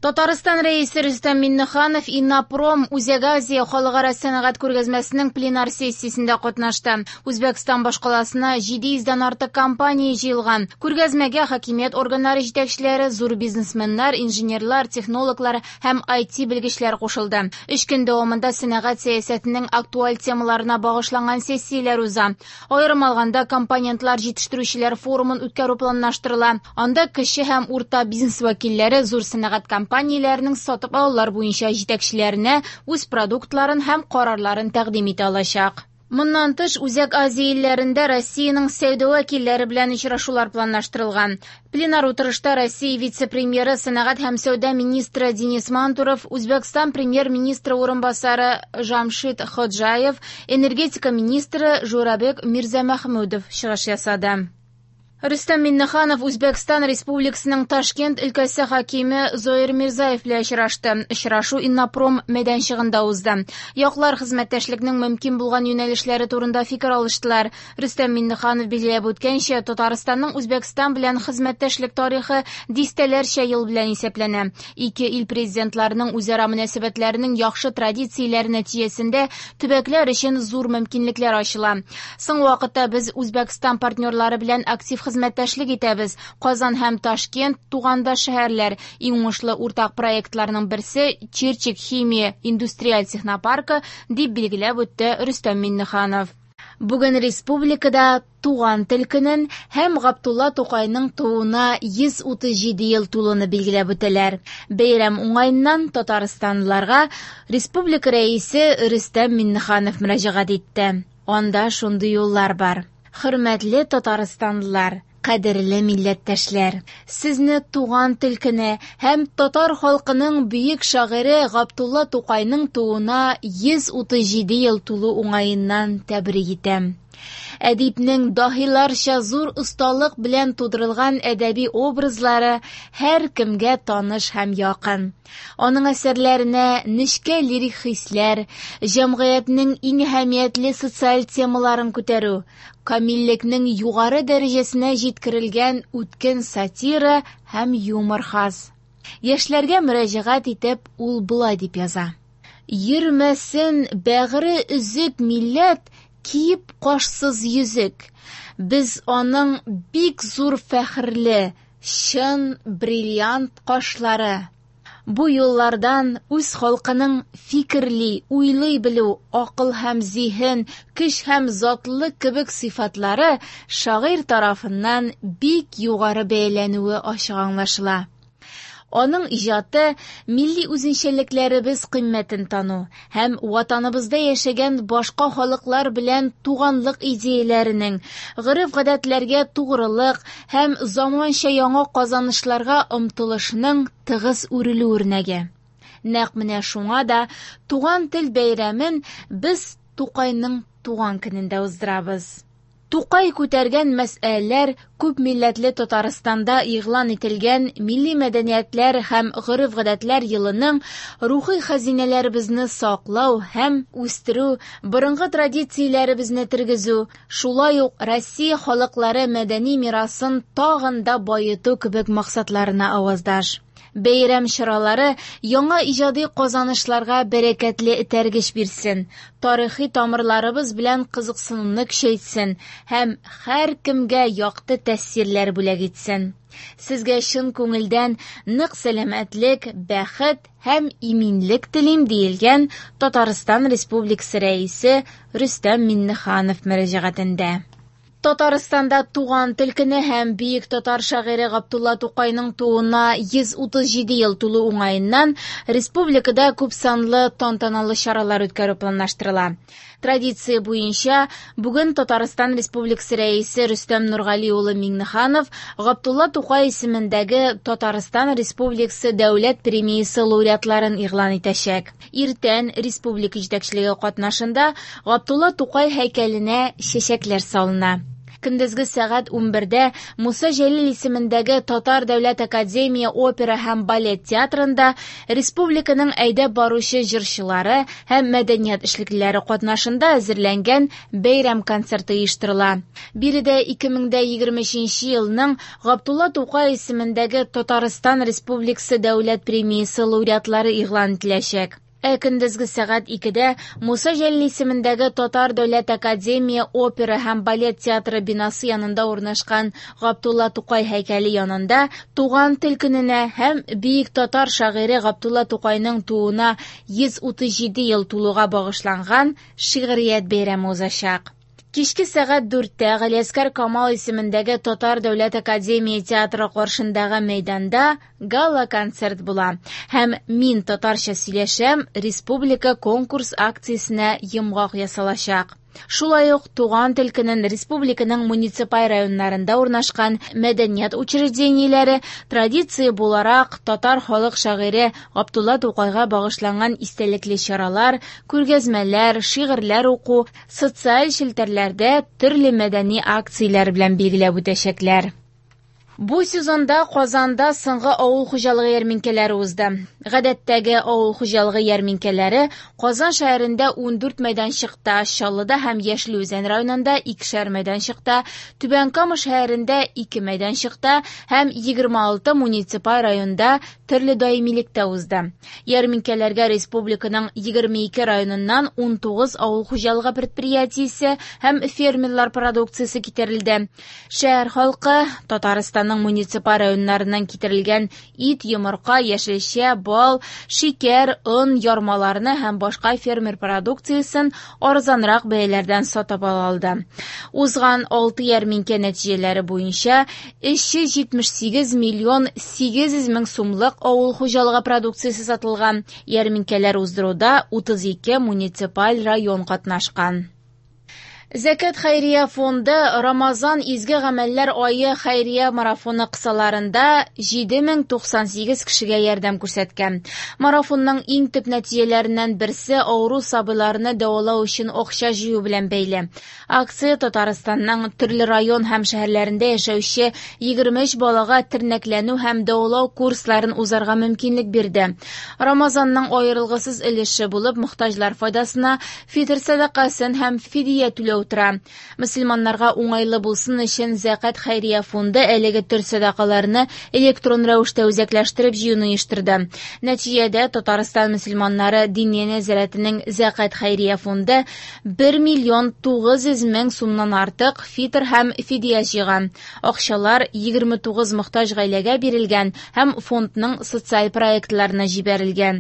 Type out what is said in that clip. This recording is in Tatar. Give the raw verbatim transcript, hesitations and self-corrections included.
Татарстан Рәисе Рөстәм Миңнеханов Иннопром Үзәк Азия халыкара сәнәгать күргәзмәсенең пленар сессиясендә катнашты. Үзбәкстан башкаласына җиде йөздән артык компания җыелган. Күргәзмәгә хакимият органнары җитәкчеләре, зур бизнесменнар, инженерлар, технологлар һәм ай ти белгечләр кушылды. Өч көн дәвамында сәнәгать сәясәтенең актуаль темаларына багышланган сессияләр уза. Аерым алганда, компонентлар җитештерүчеләр форумын үткәрү планлаштырыла. Анда кече һәм урта бизнес вәкилләре зур сәнәгать компанияләренең сатып алулар буенча җитәкчеләренә үз продуктларын һәм карарларын тәкъдим итә алачак. Моннан тыш, Үзәк Азия илләрендә Россиянең сәүдә вәкилләре белән очрашулар планлаштырылган. Пленар утырышта Россия вице-премьеры, сәнәгать һәм сәүдә министры Денис Мантуров, Үзбәкстан премьер-министры урынбасары Жамшид Ходжаев, энергетика министры Журабек Мирзамахмудов чыгыш ясады. Рөстәм Миңнеханов Үзбәкстан Республикасының Ташкент өлкәсе хакиме Зоир Мирзаев белән очрашты. Очрашу Иннопром мәйданчыгында узды. Яклар хезмәттәшлекнең мөмкин булган юнәлешләре турында фикер алыштылар. Рөстәм Миңнеханов билгеләп үткәнчә, Татарстанның Үзбәкстан белән хезмәттәшлек тарихы дистәләрчә ел белән исәпләнә. Ике ил президентларының үзара мөнәсәбәтләренең яхшы традицияләре нәтиҗәсендә төбәкләр өчен зур мөмкинлекләр ачыла. Соңгы вакытта без Үзбәкстан партнерлары белән актив хезмәттәшлек итәбез. Казан һәм Ташкент тугандаш шәһәрләр. Иң уңышлы уртак проектларның берсе Чирчик химия индустриаль технопаркы, дип билгеләп үтте Рөстәм Миңнеханов. Бүген республикада туган тел көнен һәм Габдулла Тукайның тууына йөз утыз җиде ел тулуны билгеләп үтәләр. Бәйрәм уңаеннан татарстанлыларга республика рәисе Рөстәм Миңнеханов мөрәҗәгать итте. Анда шундый юллар бар. Хөрмәтле татарстанлылар, кадерле милләттәшләр, сезне туган тел көне һәм татар халкының бөек шагыйре Габдулла Тукайның тууына йөз утыз җиде ел тулу уңаеннан тәбрик итәм. Әдипнең даһиларча зур осталык белән тудырылган әдәби образлары һәр кемгә таныш һәм якын. Аның әсәрләренә нечкә лирик хисләр, җәмгыятьнең иң әһәмиятле социаль темаларын күтәрү, камиллекнең югары дәрәҗәсенә җиткерелгән үткен сатира һәм юмор хас. Яшьләргә мөрәҗәгать итеп, ул болай дип яза: Йөрмәсен бәгыре өзек милләт, киеп кашсыз йөзек. Без аның бик зур фәхерле, чын бриллиант кашлары. Бу юллардан үз халкының фикерли, уйлый белү, акыл һәм зиһен, көч һәм затлылык кебек сыйфатлары шагыйрь тарафыннан бик югары бәяләнүе ачык аңлашыла. Аның иҗаты милли үзенчәлекләребез кыйммәтен тану һәм ватаныбызда яшәгән башка халыклар белән туганлык идеяләренең, гореф-гадәтләргә тугрылык һәм заманча яңа казанышларга омтылышның тыгыз үрелү үрнәге. Нәкъ менә шуңа да туган тел бәйрәмен без Тукайның туган көнендә уздырабыз. Тукай күтәргән мәсьәләләр күп милләтле Татарстанда игълан ителгән милли мәдәниятләр һәм гореф-гадәтләр елының рухи хәзинәләребезне саклау һәм үстерү, борынгы традицияләребезне тергезү, шулай ук Россия халыклары мәдәни мирасын тагын да баету кебек максатларына аваздаш. Бәйрәм чаралары яңа иҗади казанышларга бәрәкәтле этәргеч бирсен, тарихи тамырларыбыз белән кызыксынуны көчәйтсен һәм һәркемгә якты тәэсирләр бүләк итсен. Сезгә чын күңелдән нык сәламәтлек, бәхет һәм иминлек телим, диелгән Татарстан Республикасы Рәисе Рөстәм Миңнеханов мөрәҗәгатендә. Татарстанда туган тел көне һәм бөек татар шагыйре Габдулла Тукайның тууына йөз утыз җиде ел тулу уңаеннан республикада күпсанлы тантаналы чаралар үткәрү планлаштырыла. Традиция буенча бүген Татарстан Республикасы Рәисе Рөстәм Нургали улы Миңнеханов Габдулла Тукай исемендәге Татарстан Республикасы Дәүләт премиясе лауреатларын игълан итәчәк. Иртән республика җитәкчелеге катнашында Габдулла Тукай һәйкәленә чәчәкләр салына. Көндезге сәгать унбердә Муса Җәлил исемендәге Татар дәүләт академия опера һәм балет театрында республиканың әйдәп баручы җырчылары һәм мәдәният эшлеклеләре катнашында әзерләнгән бәйрәм концерты оештырыла. Биредә ике мең дә егерме өченче елның Габдулла Тукай исемендәге Татарстан Республикасы дәүләт премиясе лауреатлары игълан ителәчәк. Ә көндезге сәгать икедә Муса Җәлил исемендәге Татар дәүләт академия опера һәм балет театры бинасы янында урнашкан Габдулла Тукай һәйкәле янында Туган тел көненә һәм бөек татар шагыйре Габдулла Тукайның тууына йөз утыз җиде ел тулуга багышланган шигърият бәйрәме узачак. Кичке сәгать дүрттә Галиәсгар Камал исемендәге Татар дәүләт академия театры каршындагы мәйданда гала-концерт була. Һәм «Мин татарча сөйләшәм» республика конкурс акциясенә йомгак ясалачак. Шулай ук Туган тел көнен республиканың муниципаль районнарында урнашкан мәдәният учреждениеләре традиция буларак татар халык шагыйре Габдулла Тукайга багышланган истәлекле чаралар, күргәзмәләр, шигырьләр уку, социаль челтәрләрдә төрле мәдәни акцияләр белән билгеләп үтәчәкләр. Бу сезонда Казанда соңгы авыл хуҗалыгы ярминкәләре узды. Гадәттәге авыл хуҗалыгы ярминкәләре Казан шәһәрендә ундүрт мәйданчыкта, Чаллыда һәм Яшел Үзән районында икешәр мәйданчыкта, Түбән Кама шәһәрендә ике мәйданчыкта һәм егерме алты муниципаль районда төрле даимилектә узды. Ярминкәләргә республиканың егерме ике районыннан унтугыз авыл хуҗалыгы предприятиесе һәм фермерлар продукциясе китерелде. Шәһәр халкы Татарстанның муниципаль районнарыннан китерелгән ит, йомырка, яшелчә, бал, шикәр, он, ярмаларны һәм башка фермер продукциясен арзанрак бәяләрдән сатып ала алды. Узган алты ярминкә нәтиҗәләре буенча өч йөз җитмеш сигез миллион сигез йөз мең сумлык авыл хуҗалыгы продукциясе сатылган. Ярминкәләр уздыруда утыз ике муниципаль район катнашкан. Зәкят хәйрия фонды Рамазан изге гамәлләр ае хәйрия марафоны кысаларында җиде мең туксан сигез кешегә ярдәм күрсәткән. Марафонның иң төп нәтиҗәләреннән берсе авыру сабыйларны дәвалау өчен акча җыю белән бәйле. Акция Татарстанның төрле район һәм шәһәрләрендә яшәүче егерме өч балага тернәкләнү һәм дәвалау курсларын узарга мөмкинлек бирде. Рамазанның аерылгысыз өлеше булып мохтаҗлар файдасына фитр сәдакасын һәм фидия түләү утыра. Мөселманнарга уңайлы булсын өчен Зәкят хәйрия фонды әлеге төр сәдакаларны электрон рәвештә үзәкләштереп җыюны оештырды. Нәтиҗәдә Татарстан мөселманнары Диния нәзарәтенең Зәкят хәйрия фонды бер миллион тугыз йөз мең сумнан артык фитр һәм фидия җыйган. Акчалар егерме тугыз мохтаҗ гаиләгә бирелгән һәм фондның социаль проектларына җибәрелгән.